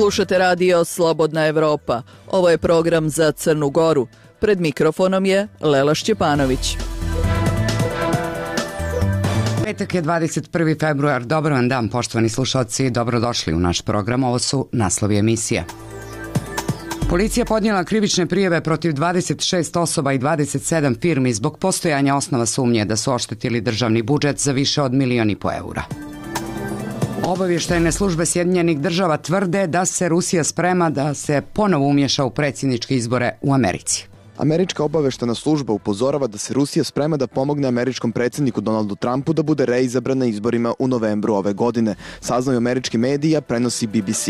Slušate radio Slobodna Evropa. Ovo je program za Crnu Goru. Pred mikrofonom je Lela Šćepanović. Petak je 21. februar. Dobar vam dan, poštovani slušalci. Dobrodošli u naš program. Ovo su naslovi emisije. Policija podnijela krivične prijave protiv 26 osoba i 27 firmi zbog postojanja osnova sumnje da su oštetili državni budžet za više od 1,5 miliona eura. Obavještajne službe Sjedinjenih Država tvrde da se Rusija sprema da se ponovo umješa u predsjedničke izbore u Americi. Američka obavještajna služba upozorava da se Rusija sprema da pomogne američkom predsjedniku Donaldu Trumpu da bude reizabran na izborima u novembru ove godine. Saznaju američki mediji, prenosi BBC.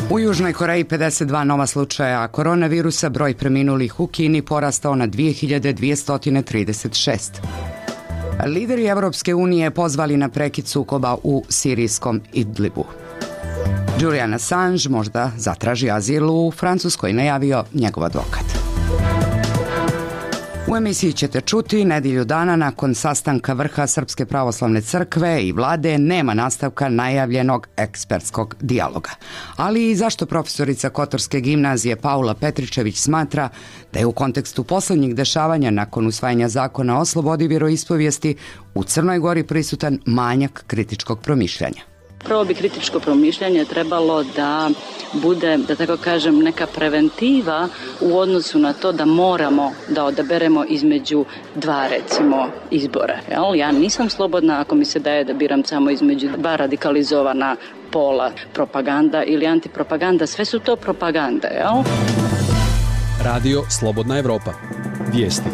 U Južnoj Koreji 52 nova slučaja koronavirusa, broj preminulih u Kini porastao na 2236. Lideri Evropske unije pozvali na prekid sukoba u sirijskom Idlibu. Julian Assange možda zatraži azil u Francuskoj, najavio njegov advokat. U emisiji ćete čuti, nedjelju dana nakon sastanka vrha Srpske pravoslavne crkve i vlade nema nastavka najavljenog ekspertskog dijaloga. Ali i zašto profesorica Kotorske gimnazije Paula Petričević smatra da je u kontekstu posljednjih dešavanja nakon usvajanja zakona o slobodi vjeroispovijesti u Crnoj Gori prisutan manjak kritičkog promišljanja. Prvo bi kritičko promišljanje trebalo da bude, da tako kažem, neka preventiva u odnosu na to da moramo da odaberemo između dva, recimo, izbora. Ja nisam slobodna ako mi se daje da biram samo između dva radikalizovana pola, propaganda ili antipropaganda. Sve su to propaganda, jel? Radio Slobodna Evropa. Vijesti.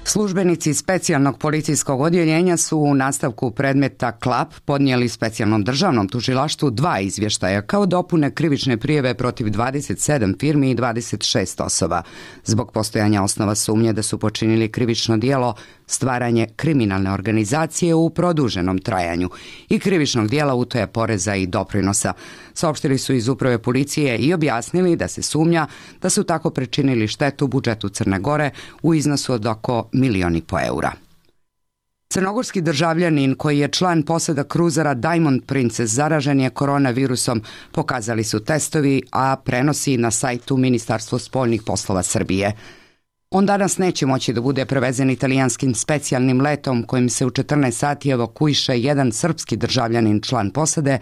Službenici specijalnog policijskog odjeljenja su u nastavku predmeta Klap podnijeli specijalnom državnom tužilaštvu 2 izvještaja kao dopune krivične prijave protiv 27 firmi i 26 osoba zbog postojanja osnova sumnje da su počinili krivično djelo stvaranje kriminalne organizacije u produženom trajanju i krivičnog djela utaje poreza i doprinosa. Saopštili su iz uprave policije i objasnili da se sumnja da su tako pričinili štetu budžetu Crne Gore u iznosu od oko 1,5 miliona eura. Crnogorski državljanin koji je član posada kruzera Diamond Princess zaražen je koronavirusom, pokazali su testovi, a prenosi na sajtu Ministarstvo spoljnih poslova Srbije. On danas neće moći da bude prevezen italijanskim specijalnim letom kojim se u 14 sati evakuiše jedan srpski državljanin član posade,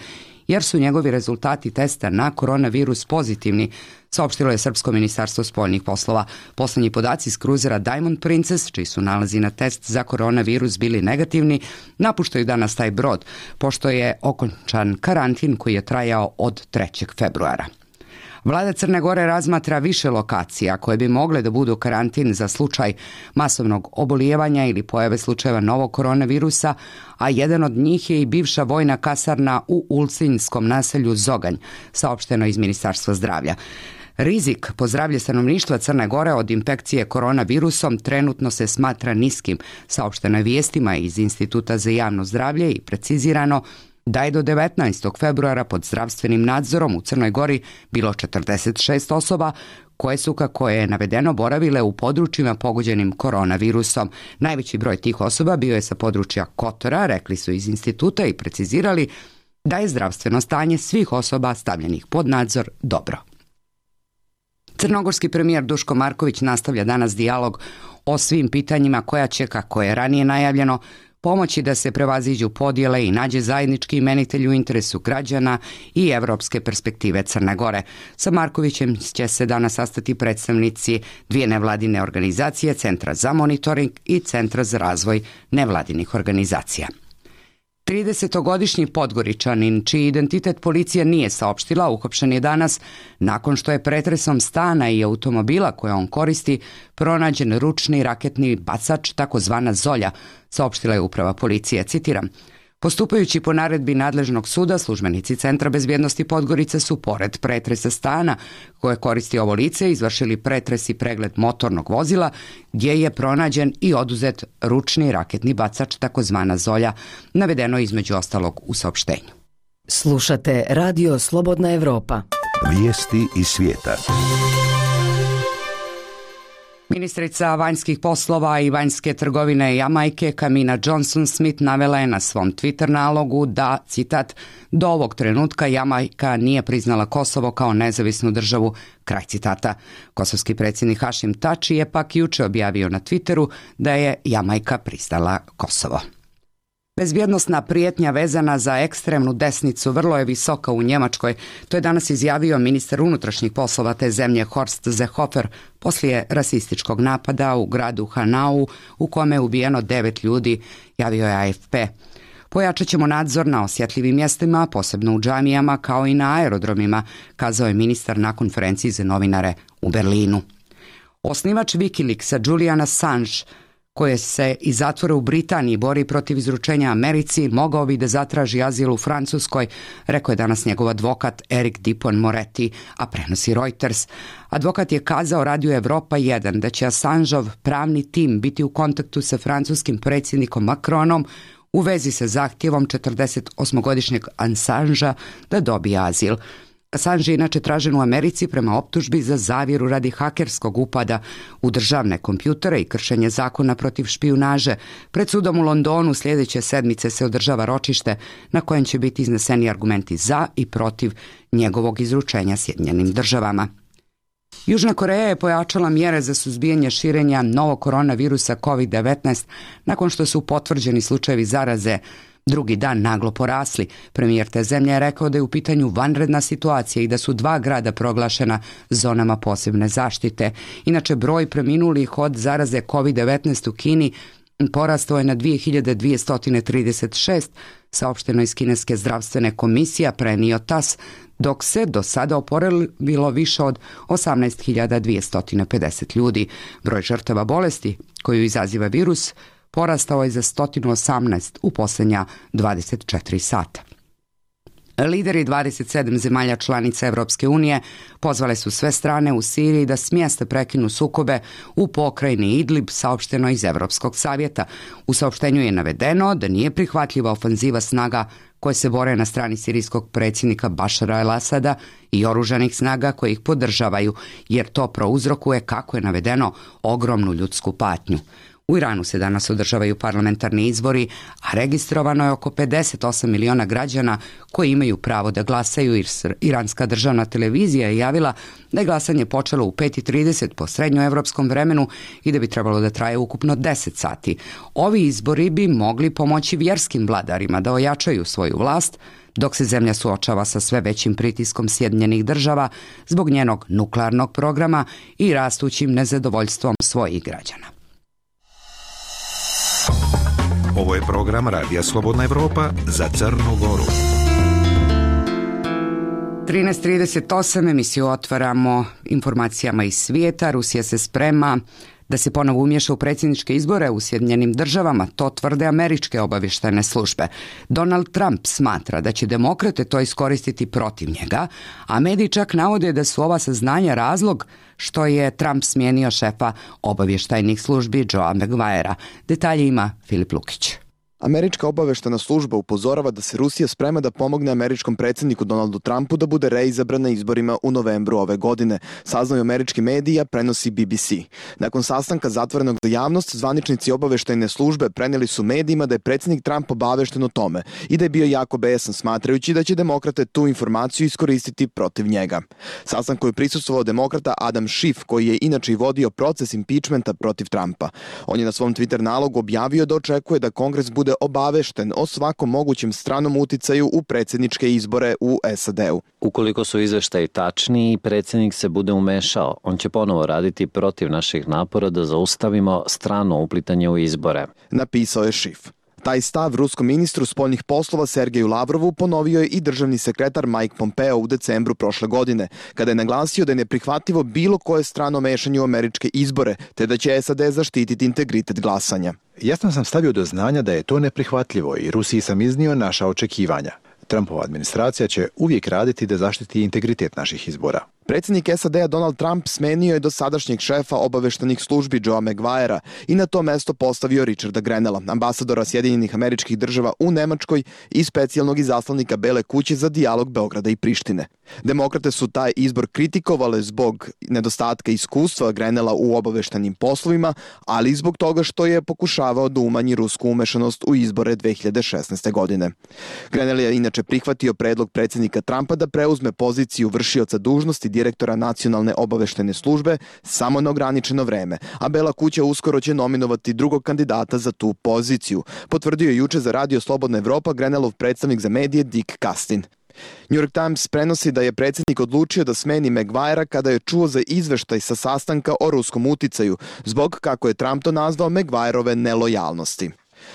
jer su njegovi rezultati testa na koronavirus pozitivni, saopštilo je Srpsko ministarstvo spoljnih poslova. Poslednji podaci iz kruzera Diamond Princess, čiji su nalazi na test za koronavirus bili negativni, napuštaju danas taj brod, pošto je okončan karantin koji je trajao od 3. februara. Vlada Crne Gore razmatra više lokacija koje bi mogle da budu karantin za slučaj masovnog obolijevanja ili pojave slučajeva novog koronavirusa, a jedan od njih je i bivša vojna kasarna u ulcinjskom naselju Zoganj, saopšteno iz Ministarstva zdravlja. Rizik po zdravlje stanovništva Crne Gore od infekcije koronavirusom trenutno se smatra niskim, saopšteno je vijestima iz Instituta za javno zdravlje i precizirano da je do 19. februara pod zdravstvenim nadzorom u Crnoj Gori bilo 46 osoba koje su, kako je navedeno, boravile u područjima pogođenim koronavirusom. Najveći broj tih osoba bio je sa područja Kotora, rekli su iz instituta i precizirali da je zdravstveno stanje svih osoba stavljenih pod nadzor dobro. Crnogorski premijer Duško Marković nastavlja danas dijalog o svim pitanjima koja će, kako je ranije najavljeno, pomoći da se prevaziđu podjele i nađe zajednički imenitelj u interesu građana i evropske perspektive Crne Gore. Sa Markovićem će se danas sastati predstavnici 2 nevladine organizacije, Centra za monitoring i Centra za razvoj nevladinih organizacija. 30-godišnji Podgoričanin, čiji identitet policija nije saopštila, uhapšen je danas nakon što je pretresom stana i automobila koje on koristi pronađen ručni raketni bacač, takozvana Zolja, saopštila je uprava policije, citiram. Postupajući po naredbi nadležnog suda, službenici Centra bezbjednosti Podgorice su pored pretresa stana koje koristi ovo lice izvršili pretres i pregled motornog vozila gdje je pronađen i oduzet ručni raketni bacač, takozvana Zolja, navedeno između ostalog u saopštenju. Slušate Radio Slobodna Evropa. Vijesti iz svijeta. Ministrica vanjskih poslova i vanjske trgovine Jamajke Kamina Johnson-Smith navela je na svom Twitter nalogu da, citat, do ovog trenutka Jamajka nije priznala Kosovo kao nezavisnu državu, kraj citata. Kosovski predsjednik Hašim Tači je pak juče objavio na Twitteru da je Jamajka priznala Kosovo. Bezbjednosna prijetnja vezana za ekstremnu desnicu vrlo je visoka u Njemačkoj. To je danas izjavio ministar unutrašnjih poslova te zemlje Horst Seehofer poslije rasističkog napada u gradu Hanau u kome je ubijeno 9 ljudi, javio je AFP. Pojačat ćemo nadzor na osjetljivim mjestima, posebno u džamijama kao i na aerodromima, kazao je ministar na konferenciji za novinare u Berlinu. Osnivač Wikileaksa Julian Assange, koje se iz zatvora u Britaniji bori protiv izručenja Americi, mogao bi da zatraži azil u Francuskoj, rekao je danas njegov advokat Eric Dupont-Moretti, a prenosi Reuters. Advokat je kazao Radiju Evropa 1 da će Assangeov pravni tim biti u kontaktu sa francuskim predsjednikom Macronom u vezi sa zahtjevom 48-godišnjeg Assangea da dobije azil. Assange je inače tražen u Americi prema optužbi za zavjeru radi hakerskog upada u državne kompjutere i kršenje zakona protiv špijunaže. Pred sudom u Londonu sljedeće sedmice se održava ročište na kojem će biti izneseni argumenti za i protiv njegovog izručenja Sjedinjenim državama. Južna Koreja je pojačala mjere za suzbijanje širenja novog koronavirusa COVID-19 nakon što su potvrđeni slučajevi zaraze drugi dan naglo porasli. Premijer te zemlje je rekao da je u pitanju vanredna situacija i da su 2 grada proglašena zonama posebne zaštite. Inače, broj preminulih od zaraze COVID-19 u Kini porastao je na 2236, saopšteno iz Kineske zdravstvene komisije, prenio TAS, dok se do sada oporavilo više od 18.250 ljudi. Broj žrtava bolesti koju izaziva virus porastao je za 118 u posljednja 24 sata. Lideri 27 zemalja članica Europske unije pozvale su sve strane u Siriji da smjeste prekinu sukobe u pokrajini Idlib, saopšteno iz Europskog savjeta. U saopštenju je navedeno da nije prihvatljiva ofanziva snaga koje se bore na strani sirijskog predsjednika Bašara el-Asada i oružanih snaga koje ih podržavaju, jer to prouzrokuje, kako je navedeno, ogromnu ljudsku patnju. U Iranu se danas održavaju parlamentarni izbori, a registrovano je oko 58 miliona građana koji imaju pravo da glasaju. Iranska državna televizija je javila da je glasanje počelo u 5:30 po srednjoevropskom vremenu i da bi trebalo da traje ukupno 10 sati. Ovi izbori bi mogli pomoći vjerskim vladarima da ojačaju svoju vlast, dok se zemlja suočava sa sve većim pritiskom Sjedinjenih država zbog njenog nuklearnog programa i rastućim nezadovoljstvom svojih građana. Ovo je program Radija Slobodna Evropa za Crnu Goru. 13:38 emisiju otvaramo informacijama iz svijeta. Rusija se sprema da se ponovo umješa u predsjedničke izbore u Sjedinjenim državama, to tvrde američke obavještajne službe. Donald Trump smatra da će demokrate to iskoristiti protiv njega, a mediji čak navode da su ova saznanja razlog što je Trump smijenio šefa obavještajnih službi Joea Maguirea. Detalje ima Filip Lukić. Američka obavještajna služba upozorava da se Rusija sprema da pomogne američkom predsjedniku Donaldu Trumpu da bude reizabran na izborima u novembru ove godine, saznaju američki mediji, prenosi BBC. Nakon sastanka zatvorenog za javnost, zvaničnici obavještajne službe prenijeli su medijima da je predsjednik Trump obavješten o tome i da je bio jako besan, smatrajući da će demokrate tu informaciju iskoristiti protiv njega. Sastanku je prisustvovao demokrata Adam Schiff, koji je inače i vodio proces impeachmenta protiv Trumpa. On je na svom Twitter nalogu objavio da očekuje da Kongres bude obavešten o svakom mogućem stranom uticaju u predsjedničke izbore u SAD-u. Ukoliko su izveštaji tačni i predsjednik se bude umešao, on će ponovo raditi protiv naših napora da zaustavimo strano uplitanje u izbore, napisao je Schiff. Taj stav ruskom ministru spoljnih poslova Sergeju Lavrovu ponovio je i državni sekretar Mike Pompeo u decembru prošle godine, kada je naglasio da je neprihvatljivo bilo koje strano mešanje u američke izbore, te da će SAD zaštititi integritet glasanja. Jasno sam stavio do znanja da je to neprihvatljivo i Rusiji sam iznio naša očekivanja. Trumpova administracija će uvijek raditi da zaštiti integritet naših izbora. Predsjednik SAD-a Donald Trump smenio je dosadašnjeg šefa obavještajnih službi Joea Maguirea i na to mesto postavio Richarda Grenella, ambasadora Sjedinjenih Američkih Država u Nemačkoj i specijalnog izaslanika Bele kuće za dijalog Beograda i Prištine. Demokrate su taj izbor kritikovale zbog nedostatka iskustva Grenela u obaveštajnim poslovima, ali i zbog toga što je pokušavao da umanji rusku umešanost u izbore 2016. godine. Grenell je inače prihvatio predlog predsjednika Trumpa da preuzme poziciju vršioca dužnosti direktora Nacionalne obaveštajne službe samo na ograničeno vreme, a Bela kuća uskoro će nominovati drugog kandidata za tu poziciju, potvrdio je juče za Radio Slobodna Evropa Grenellov predstavnik za medije Dick Castin. New York Times prenosi da je predsjednik odlučio da smeni Maguirea kada je čuo za izveštaj sa sastanka o ruskom uticaju, zbog, kako je Trump to nazvao, Maguireove nelojalnosti.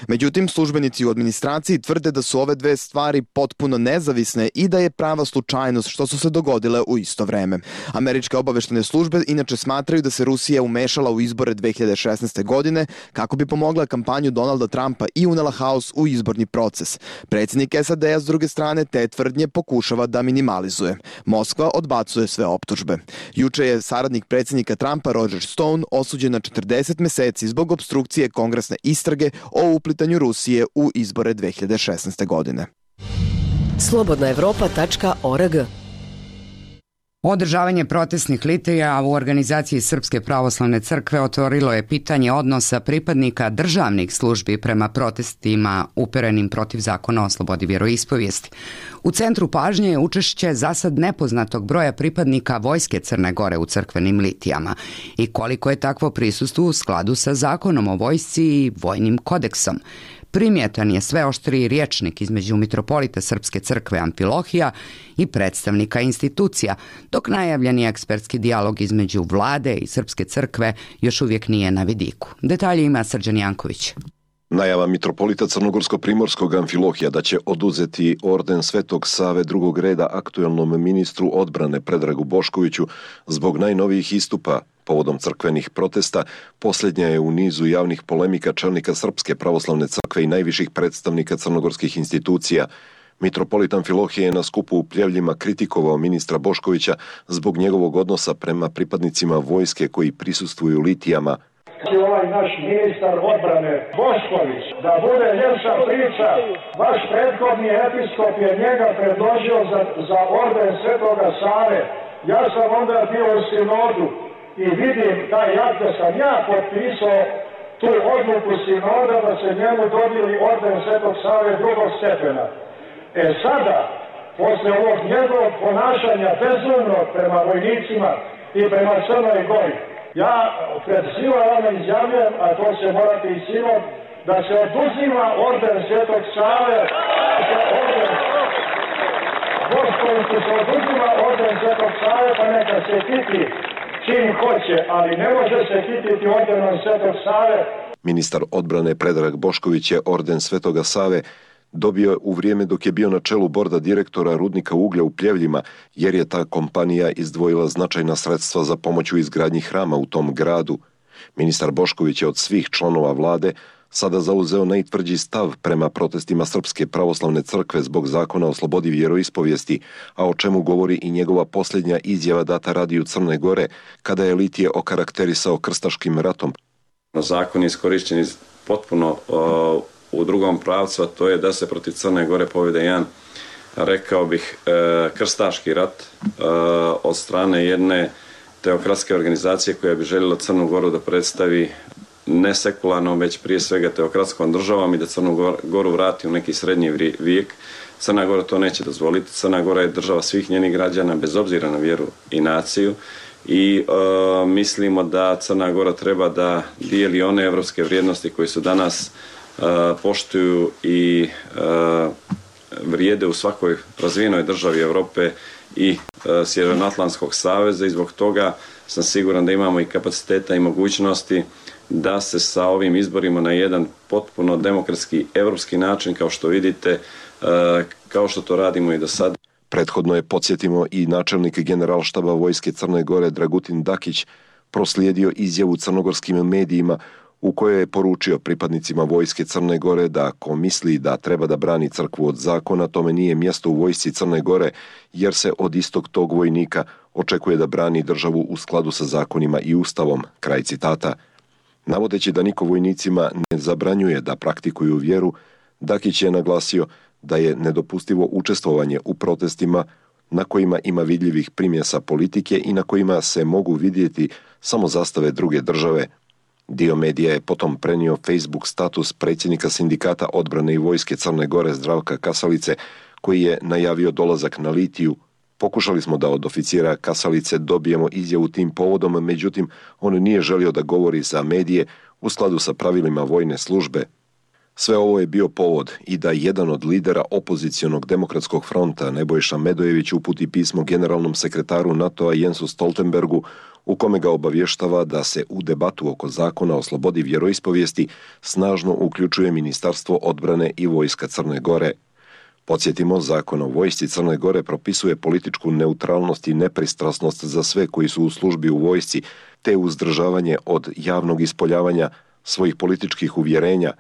Međutim, službenici u administraciji tvrde da su ove dve stvari potpuno nezavisne i da je prava slučajnost što su se dogodile u isto vreme. Američke obaveštajne službe inače smatraju da se Rusija umešala u izbore 2016. godine kako bi pomogla kampanju Donalda Trumpa i unela haos u izborni proces. Predsjednik SAD-a s druge strane te tvrdnje pokušava da minimalizuje. Moskva odbacuje sve optužbe. Juče je saradnik predsjednika Trumpa Roger Stone osuđen na 40 meseci zbog opstrukcije kongresne istrage o uplitanju Rusije u izbore 2016. godine. slobodnaevropa.org. Održavanje protestnih litija u organizaciji Srpske pravoslavne crkve otvorilo je pitanje odnosa pripadnika državnih službi prema protestima uperenim protiv zakona o slobodi vjeroispovijesti. U centru pažnje je učešće zasad nepoznatog broja pripadnika Vojske Crne Gore u crkvenim litijama i koliko je takvo prisustvo u skladu sa zakonom o vojsci i vojnim kodeksom. Primjetan je sve oštriji rječnik između mitropolita Srpske crkve Amfilohija i predstavnika institucija, dok najavljeni ekspertski dijalog između vlade i Srpske crkve još uvijek nije na vidiku. Detalje ima Srđan Janković. Najava mitropolita Crnogorsko-primorskog Amfilohija da će oduzeti orden Svetog Save drugog reda aktuelnom ministru odbrane Predragu Boškoviću zbog najnovijih istupa povodom crkvenih protesta, posljednja je u nizu javnih polemika čelnika Srpske pravoslavne crkve i najviših predstavnika crnogorskih institucija. Mitropolit Amfilohije je na skupu u Pljevljima kritikovao ministra Boškovića zbog njegovog odnosa prema pripadnicima vojske koji prisustvuju litijama. Ovaj naš ministar odbrane Bošković, da bude ljepša priča, vaš prethodni episkop je njega predložio za orden Svetoga Save. Ja sam onda bio u sinodu i vidim taj akt da sam ja potpisao tu odluku sinoda da se njemu dodijeli orden Svetog Save drugog stepena. Sada, posle ovog njegovog ponašanja bezumnog prema vojnicima i prema Crnoj Gori, ja pred svima vama izjavljujem, a to se morate i sinod, da se oduzima orden Svetog Save, Boškoviću se oduzima orden Svetog Save, pa neka se kiti čim hoće, ali ne može se kititi ordenom Svetog Save. Ministar odbrane Predrag Bošković je orden Svetoga Save dobio u vrijeme dok je bio na čelu borda direktora rudnika uglja u Pljevljima, jer je ta kompanija izdvojila značajna sredstva za pomoć u izgradnji hrama u tom gradu. Ministar Bošković je od svih članova vlade sada zauzeo najtvrđi stav prema protestima Srpske pravoslavne crkve zbog zakona o slobodi vjeroispovijesti, a o čemu govori i njegova posljednja izjava data Radiju Crne Gore, kada je litije okarakterisao krstaškim ratom. Zakon je iskorišćen potpuno u drugom pravcu, a to je da se protiv Crne Gore povede jedan, rekao bih, krstaški rat od strane jedne teokratske organizacije koja bi željela Crnu Goru da predstavi ne sekularnom, već prije svega teokratskom državom i da Crnu Goru vrati u neki srednji vijek. Crna Gora to neće dozvoliti. Crna Gora je država svih njenih građana bez obzira na vjeru i naciju i mislimo da Crna Gora treba da dijeli one evropske vrijednosti koje su danas poštuju i vrijede u svakoj razvijenoj državi Europe i Sjevernoatlantskog saveza i zbog toga sam siguran da imamo i kapaciteta i mogućnosti da se sa ovim izborima na jedan potpuno demokratski evropski način, kao što vidite, kao što to radimo i do sada. Prethodno je, podsjetimo, i načelnik generalštaba Vojske Crne Gore Dragutin Dakić proslijedio izjavu crnogorskim medijima u kojoj je poručio pripadnicima Vojske Crne Gore da ko misli da treba da brani crkvu od zakona, tome nije mjesto u Vojsci Crne Gore, jer se od istog tog vojnika očekuje da brani državu u skladu sa zakonima i ustavom. Kraj citata. Navodeći da niko vojnicima ne zabranjuje da praktikuju vjeru, Dakić je naglasio da je nedopustivo učestvovanje u protestima, na kojima ima vidljivih primjesa politike i na kojima se mogu vidjeti samo zastave druge države. Dio medija je potom prenio Facebook status predsjednika Sindikata odbrane i vojske Crne Gore Zdravka Kasalice, koji je najavio dolazak na Litiju. Pokušali smo da od oficira Kasalice dobijemo izjavu tim povodom, međutim, on nije želio da govori za medije u skladu sa pravilima vojne službe. Sve ovo je bio povod i da jedan od lidera opozicionog demokratskog fronta, Nebojša Medojević, uputi pismo generalnom sekretaru NATO-a Jensu Stoltenbergu, u kome ga obavještava da se u debatu oko zakona o slobodi vjeroispovijesti snažno uključuje Ministarstvo odbrane i vojska Crne Gore. Podsjetimo, zakon o vojsci Crne Gore propisuje političku neutralnost i nepristrasnost za sve koji su u službi u vojsci, te uzdržavanje od javnog ispoljavanja svojih političkih uvjerenja.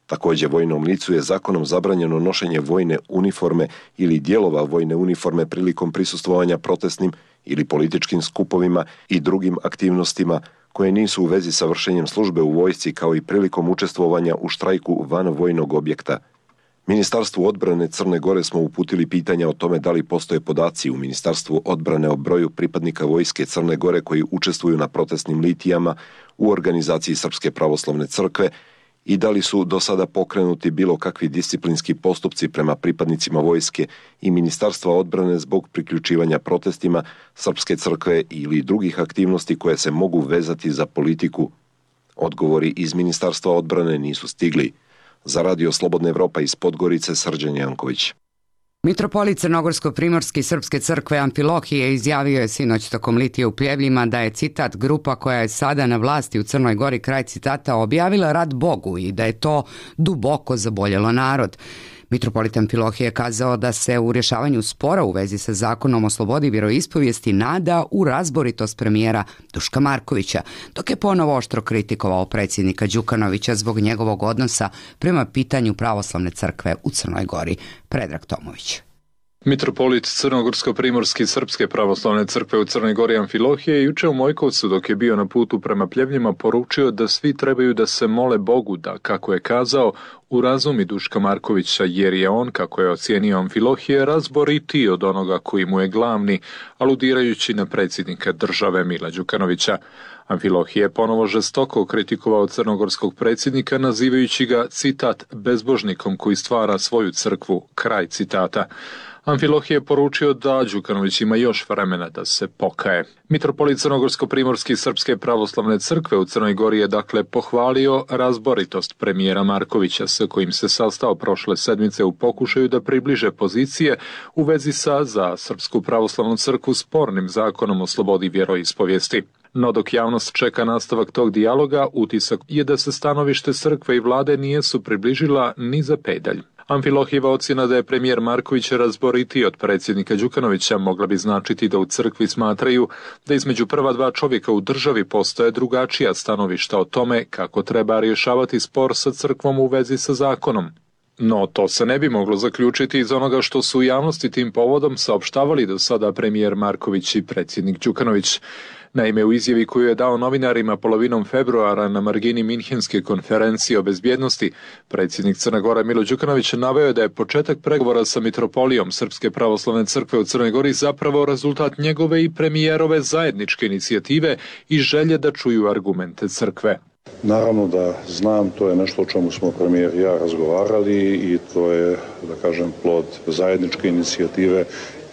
Također, vojnom licu je zakonom zabranjeno nošenje vojne uniforme ili dijelova vojne uniforme prilikom prisustvovanja protestnim ili političkim skupovima i drugim aktivnostima koje nisu u vezi sa vršenjem službe u vojsci, kao i prilikom učestvovanja u štrajku van vojnog objekta. Ministarstvu odbrane Crne Gore smo uputili pitanja o tome da li postoje podaci u Ministarstvu odbrane o broju pripadnika vojske Crne Gore koji učestvuju na protestnim litijama u organizaciji Srpske pravoslavne crkve i da li su do sada pokrenuti bilo kakvi disciplinski postupci prema pripadnicima vojske i Ministarstva odbrane zbog priključivanja protestima Srpske crkve ili drugih aktivnosti koje se mogu vezati za politiku. Odgovori iz Ministarstva odbrane nisu stigli. Za Radio Slobodna Evropa iz Podgorice, Srđan Janković. Mitropolit Crnogorsko-primorski Srpske crkve Amfilohije izjavio je sinoć tokom litije u Pljevljima da je, citat, grupa koja je sada na vlasti u Crnoj Gori, kraj citata, objavila rat Bogu i da je to duboko zaboljelo narod. Mitropolit Amfilohije je kazao da se u rješavanju spora u vezi sa zakonom o slobodi vjeroispovijesti nada u razboritost premijera Duška Markovića, dok je ponovo oštro kritikovao predsjednika Đukanovića zbog njegovog odnosa prema pitanju pravoslavne crkve u Crnoj Gori. Predrag Tomović. Mitropolit Crnogorsko-primorski Srpske pravoslavne crkve u Crnoj Gori Amfilohije juče u Mojkovcu, dok je bio na putu prema Pljevljima, poručio da svi trebaju da se mole Bogu da, kako je kazao, urazumi Duška Markovića, jer je on, kako je ocijenio Amfilohije, razboritiji od onoga koji mu je glavni, aludirajući na predsjednika države Mila Đukanovića. Amfilohije je ponovo žestoko kritikovao crnogorskog predsjednika, nazivajući ga, citat, bezbožnikom koji stvara svoju crkvu, kraj citata. Amfilohije je poručio da Đukanović ima još vremena da se pokaje. Mitropolit Crnogorsko-primorski Srpske pravoslavne crkve u Crnoj Gori je dakle pohvalio razboritost premijera Markovića, sa kojim se sastao prošle sedmice u pokušaju da približe pozicije u vezi sa za Srpsku pravoslavnu crkvu spornim zakonom o slobodi vjeroispovijesti. No dok javnost čeka nastavak tog dijaloga, utisak je da se stanovište crkve i vlade nisu približila ni za pedalj. Amfilohijeva ocjena da je premijer Marković razboritiji od predsjednika Đukanovića mogla bi značiti da u crkvi smatraju da između prva dva čovjeka u državi postoje drugačija stanovišta o tome kako treba rješavati spor sa crkvom u vezi sa zakonom. No, to se ne bi moglo zaključiti iz onoga što su u javnosti tim povodom saopštavali do sada premijer Marković i predsjednik Đukanović. Naime, u izjavi koju je dao novinarima polovinom februara na margini Minhenske konferencije o bezbjednosti, predsjednik Crne Gore Milo Đukanović naveo da je početak pregovora sa Mitropolijom Srpske pravoslavne crkve u Crnoj Gori zapravo rezultat njegove i premijerove zajedničke inicijative i želje da čuju argumente crkve. Naravno da znam, to je nešto o čemu smo premijer i ja razgovarali i to je, da kažem, plod zajedničke inicijative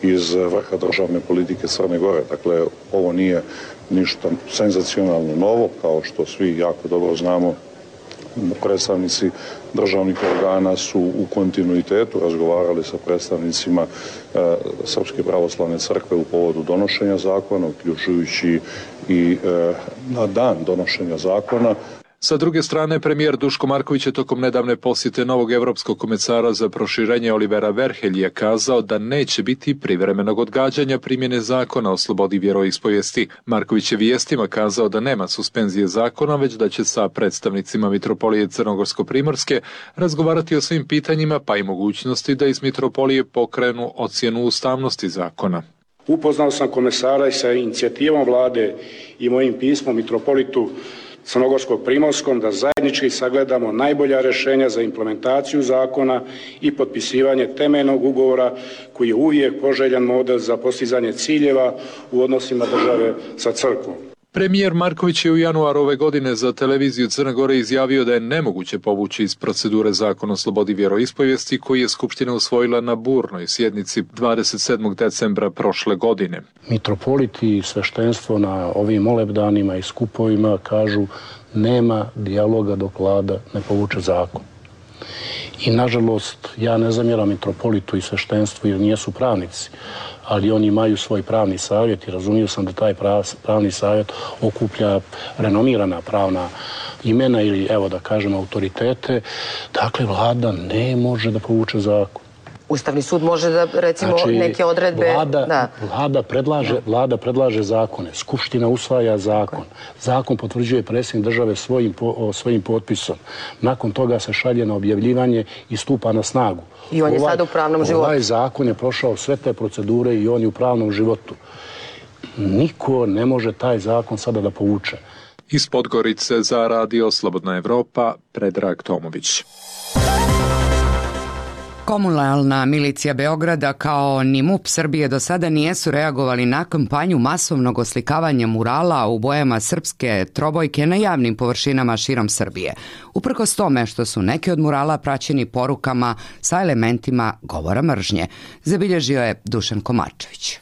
iz vrha državne politike Crne Gore. Dakle, ovo nije ništa senzacionalno novo, kao što svi jako dobro znamo. Predstavnici državnih organa su u kontinuitetu razgovarali sa predstavnicima Srpske pravoslavne crkve u povodu donošenja zakona, uključujući i na dan donošenja zakona. Sa druge strane, premijer Duško Marković je tokom nedavne posjete novog evropskog komesara za proširenje Olivera Verhelija kazao da neće biti privremenog odgađanja primjene zakona o slobodi vjeroispovijesti. Marković je vijestima kazao da nema suspenzije zakona, već da će sa predstavnicima Mitropolije Crnogorsko-primorske razgovarati o svim pitanjima, pa i mogućnosti da iz Mitropolije pokrenu ocjenu ustavnosti zakona. Upoznao sam komesara i sa inicijativom vlade i mojim pismom Mitropolitu Crnogorsko-primorskom da zajednički sagledamo najbolja rješenja za implementaciju zakona i potpisivanje temeljnog ugovora koji je uvijek poželjan model za postizanje ciljeva u odnosima države sa crkvom. Premijer Marković je u januaru ove godine za televiziju Crne Gore izjavio da je nemoguće povući iz procedure Zakon o slobodi vjeroispovijesti koji je Skupština usvojila na burnoj sjednici 27. decembra prošle godine. Mitropoliti i sveštenstvo na ovim molebdanima i skupovima kažu nema dijaloga dok vlada ne povuče zakon. I nažalost, ja ne zamjeram mitropolitu i sveštenstvu jer nijesu pravnici, ali oni imaju svoj pravni savjet i razumio sam da taj pravni savjet okuplja renomirana pravna imena ili, evo da kažem, autoritete. Dakle, vlada ne može da povuče zakon. Ustavni sud može da, recimo, neke odredbe... Vlada predlaže zakone, Skupština usvaja zakon, zakon potvrđuje predsjednik države svojim potpisom. Nakon toga se šalje na objavljivanje i stupa na snagu. I on je sada u pravnom životu. Ovaj zakon je prošao sve te procedure i on je u pravnom životu. Niko ne može taj zakon sada da povuče. Iz Podgorice za Radio Slobodna Evropa, Predrag Tomović. Komunalna milicija Beograda kao ni MUP Srbije do sada nijesu reagovali na kampanju masovnog oslikavanja murala u bojama srpske trobojke na javnim površinama širom Srbije. Uprkos tome što su neki od murala praćeni porukama sa elementima govora mržnje, zabilježio je Dušan Komarčević.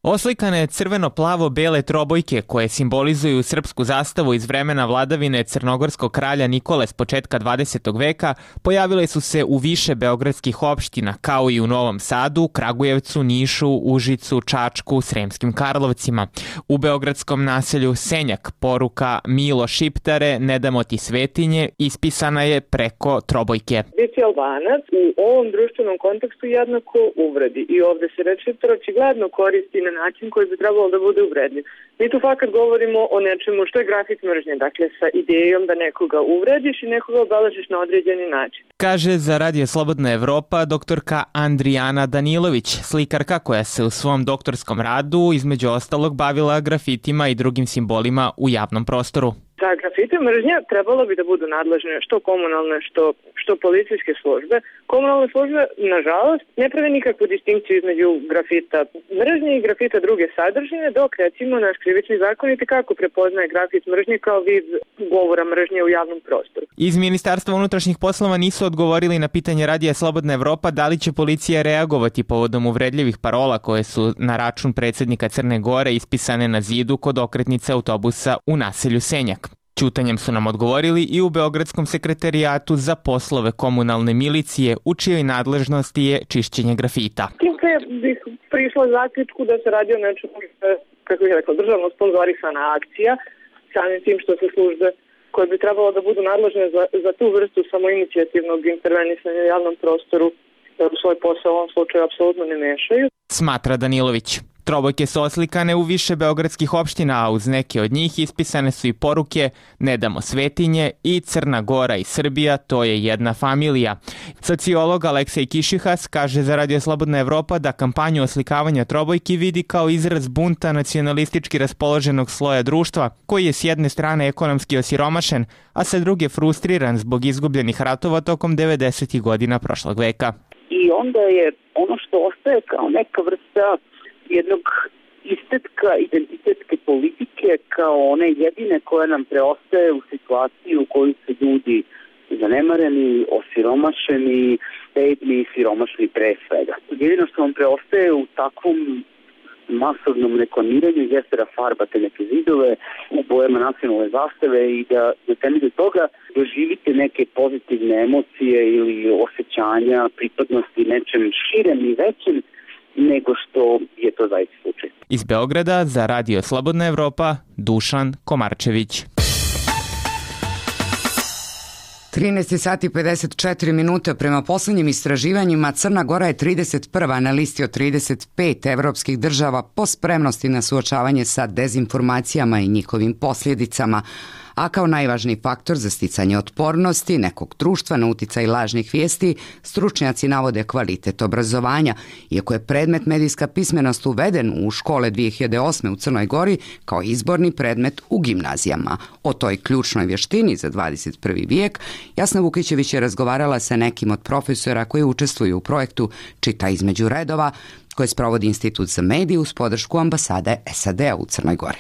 Oslikane crveno-plavo-bele trobojke koje simbolizuju srpsku zastavu iz vremena vladavine crnogorskog kralja Nikole s početka 20. veka pojavile su se u više beogradskih opština, kao i u Novom Sadu, Kragujevcu, Nišu, Užicu, Čačku, Sremskim Karlovcima. U beogradskom naselju Senjak poruka Milo Šiptare, ne damo ti svetinje, ispisana je preko trobojke. Biti Albanac u ovom društvenom kontekstu jednako uvredi i ovde se reč Šiptar očigledno koristi na način koji bi trebalo da bude uvredljiv. Mi tu fakat govorimo o nečemu što je grafit mržnje, dakle sa idejom da nekoga uvrediš i nekoga obeležiš na određeni način. Kaže za Radio Slobodna Evropa doktorka Andrijana Danilović, slikarka koja se u svom doktorskom radu između ostalog bavila grafitima i drugim simbolima u javnom prostoru. Za grafite mržnja trebalo bi da budu nadležne što komunalne, što policijske službe. Komunalne službe, nažalost, ne prave nikakvu distinkciju između grafita mržnje i grafita druge sadržine, dok recimo naš krivični zakonik kako prepoznaje grafit mržnje kao vid govora mržnje u javnom prostoru. Iz Ministarstva unutrašnjih poslova nisu odgovorili na pitanje Radija Slobodna Evropa da li će policija reagovati povodom uvredljivih parola koje su na račun predsjednika Crne Gore ispisane na zidu kod okretnice autobusa u naselju Senjak. Ćutanjem su nam odgovorili i u Beogradskom sekretarijatu za poslove komunalne milicije, u čijoj nadležnosti je čišćenje grafita. Tim pre bih prišla zaključku da se radi o nečemu, kako bih rekla, državno sponzorisana akcija, samim tim što se službe koje bi trebalo da budu nadležne za tu vrstu samoinicijativnog intervenisanja u javnom prostoru u svoj posao u ovom slučaju apsolutno ne mešaju. Smatra Danilović. Trobojke su oslikane u više beogradskih opština, a uz neke od njih ispisane su i poruke Ne damo svetinje i Crna Gora i Srbija, to je jedna familija. Sociolog Aleksej Kišihas kaže za Radio Slobodna Evropa da kampanju oslikavanja trobojki vidi kao izraz bunta nacionalistički raspoloženog sloja društva, koji je s jedne strane ekonomski osiromašen, a sa druge frustriran zbog izgubljenih ratova tokom 90. godina prošlog veka. I onda je ono što ostaje kao neka vrsta jednog istetka identitetske politike kao one jedine koje nam preostaje u situaciji u kojoj su ljudi zanemareni, osiromašeni, bedni i siromašni pre svega. Jedino što vam preostaje u takvom masovnom reklamiranju jeste da farbate neke zidove u bojama nacionalne zastave i da na temelju toga doživite neke pozitivne emocije ili osjećanja pripadnosti nečem širem i većem nego što je to zaista slučaj. Iz Beograda za Radio Slobodna Evropa, Dušan Komarčević. 13 sati 54 minuta. Prema poslednjim istraživanjima Crna Gora je 31. na listi od 35 evropskih država po spremnosti na suočavanje sa dezinformacijama i njihovim posljedicama. a kao najvažniji faktor za sticanje otpornosti nekog društva na uticaj lažnih vijesti, stručnjaci navode kvalitet obrazovanja, iako je predmet medijska pismenost uveden u škole 2008. u Crnoj Gori kao izborni predmet u gimnazijama. O toj ključnoj vještini za 21. vijek Jasna Vukićević je razgovarala sa nekim od profesora koji učestvuju u projektu Čita između redova, koje sprovodi Institut za medije uz podršku ambasade SAD-a u Crnoj Gori.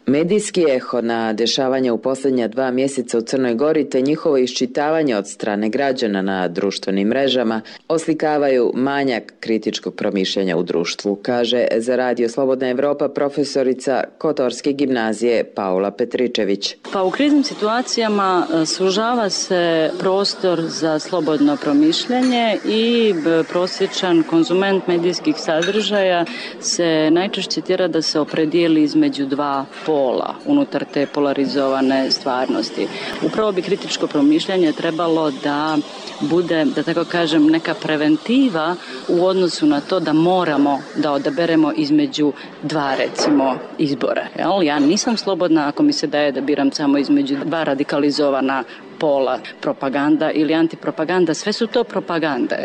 Medijski eho na dešavanja u posljednja 2 mjeseca u Crnoj Gori te njihovo iščitavanje od strane građana na društvenim mrežama oslikavaju manjak kritičkog promišljanja u društvu, kaže za Radio Slobodna Evropa profesorica Kotorske gimnazije Paula Petričević. Pa u kriznim situacijama sužava se prostor za slobodno promišljanje i prosječan konzument medijskih sadržaja se najčešće tjera da se opredijeli između dva pola unutar te polarizovane stvarnosti. Upravo bi kritičko promišljanje trebalo da bude, da tako kažem, neka preventiva u odnosu na to da moramo da odaberemo između dva, recimo, izbora. Ja nisam slobodna ako mi se daje da biram samo između dva radikalizovana pola, propaganda ili antipropaganda, sve su to propagande.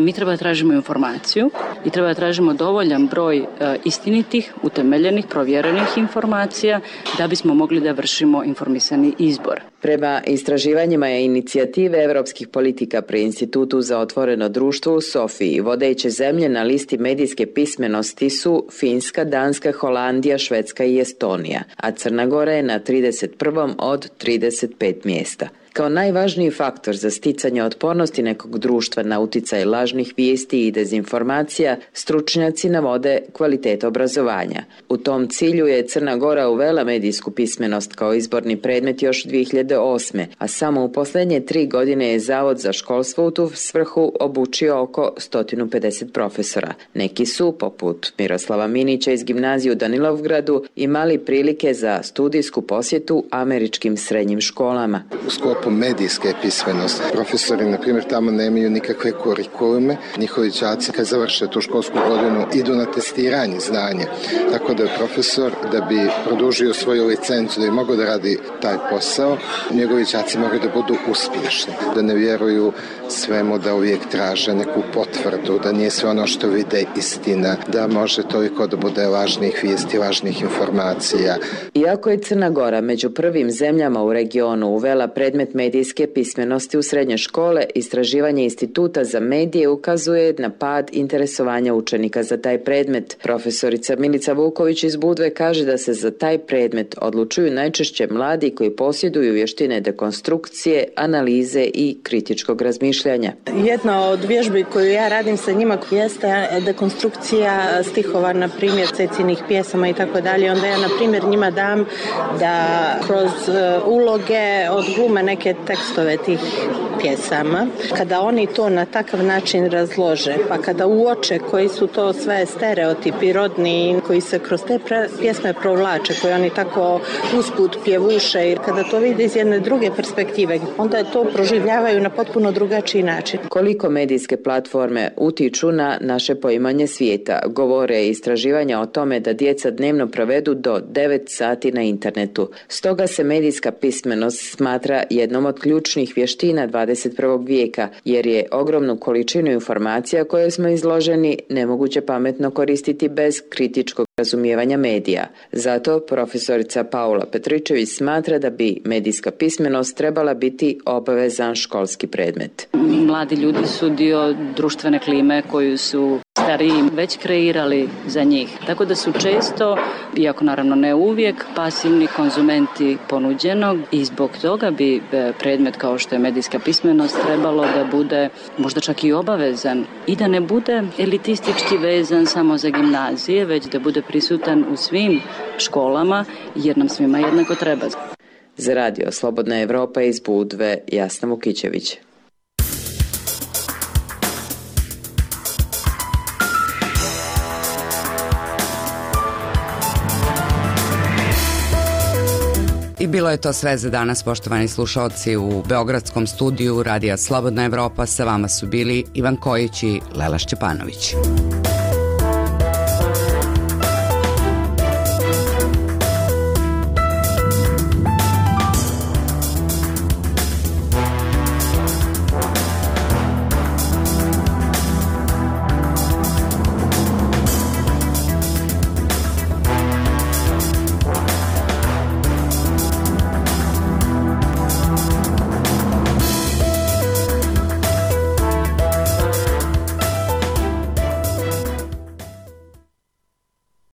Mi treba da tražimo informaciju i treba da tražimo dovoljan broj istinitih, utemeljenih, provjerenih informacija da bismo mogli da vršimo informisani izbor. Prema istraživanjima je inicijative evropskih politika pri Institutu za otvoreno društvo u Sofiji, vodeće zemlje na listi medijske pismenosti su Finska, Danska, Holandija, Švedska i Estonija, a Crna Gora je na 31. od 35 mjesta. Kao najvažniji faktor za sticanje otpornosti nekog društva na uticaj lažnih vijesti i dezinformacija, stručnjaci navode kvalitet obrazovanja. U tom cilju je Crna Gora uvela medijsku pismenost kao izborni predmet još 2008. a samo u posljednje 3 godine je Zavod za školstvo u tu svrhu obučio oko 150 profesora. Neki su, poput Miroslava Minića iz gimnazije u Danilovgradu, imali prilike za studijsku posjetu američkim srednjim školama. Medijske pismenosti. Profesori, na primjer, tamo nemaju nikakve kurikulume. Njihovi đaci, kad završe tu školsku godinu, idu na testiranje znanja. Tako da je profesor, da bi produžio svoju licencu, da bi mogao da radi taj posao, njegovi đaci moraju da budu uspješni. Da ne vjeruju svemu, da uvijek traže neku potvrdu, da nije sve ono što vide istina, da može toliko da bude lažnih vijesti, lažnih informacija. Iako je Crna Gora među prvim zemljama u regionu uvela predmet medijske pismenosti u srednje škole, istraživanje Instituta za medije ukazuje na pad interesovanja učenika za taj predmet. Profesorica Milica Vuković iz Budve kaže da se za taj predmet odlučuju najčešće mladi koji posjeduju vještine dekonstrukcije, analize i kritičkog razmišljanja. Jedna od vježbi koju ja radim sa njima jeste dekonstrukcija stihova, na primjer Cecinih pjesama i tako dalje. Onda ja, na primjer, njima dam da kroz uloge odglume neke tekstove tih pjesama. Kada oni to na takav način razlože, pa kada uoče koji su to sve stereotipi rodni koji se kroz te pjesme provlače, koje oni tako usput pjevuše, i kada to vide iz jedne druge perspektive, onda to proživljavaju na potpuno drugačiji način. Koliko medijske platforme utiču na naše poimanje svijeta, govore istraživanja o tome da djeca dnevno provedu do 9 sati na internetu. Stoga se medijska pismenost smatra jednom od ključnih vještina 21. vijeka, jer je ogromnu količinu informacija koje smo izloženi nemoguće pametno koristiti bez kritičkog razumijevanja medija. Zato profesorica Paula Petričević smatra da bi medijska pismenost trebala biti obavezan školski predmet. Mladi ljudi su dio društvene klime koju su stariji već kreirali za njih. Tako da su često, iako naravno ne uvijek, pasivni konzumenti ponuđenog i zbog toga bi predmet kao što je medijska pismenost trebalo da bude možda čak i obavezan i da ne bude elitistički vezan samo za gimnazije, već da bude prisutan u svim školama jer nam svima jednako treba. Za Radio Slobodna Evropa iz Budve, Jasna Vukićević. I bilo je to sve za danas, poštovani slušalci. U beogradskom studiju Radija Slobodna Evropa sa vama su bili Ivan Kojić i Lela Šćepanović.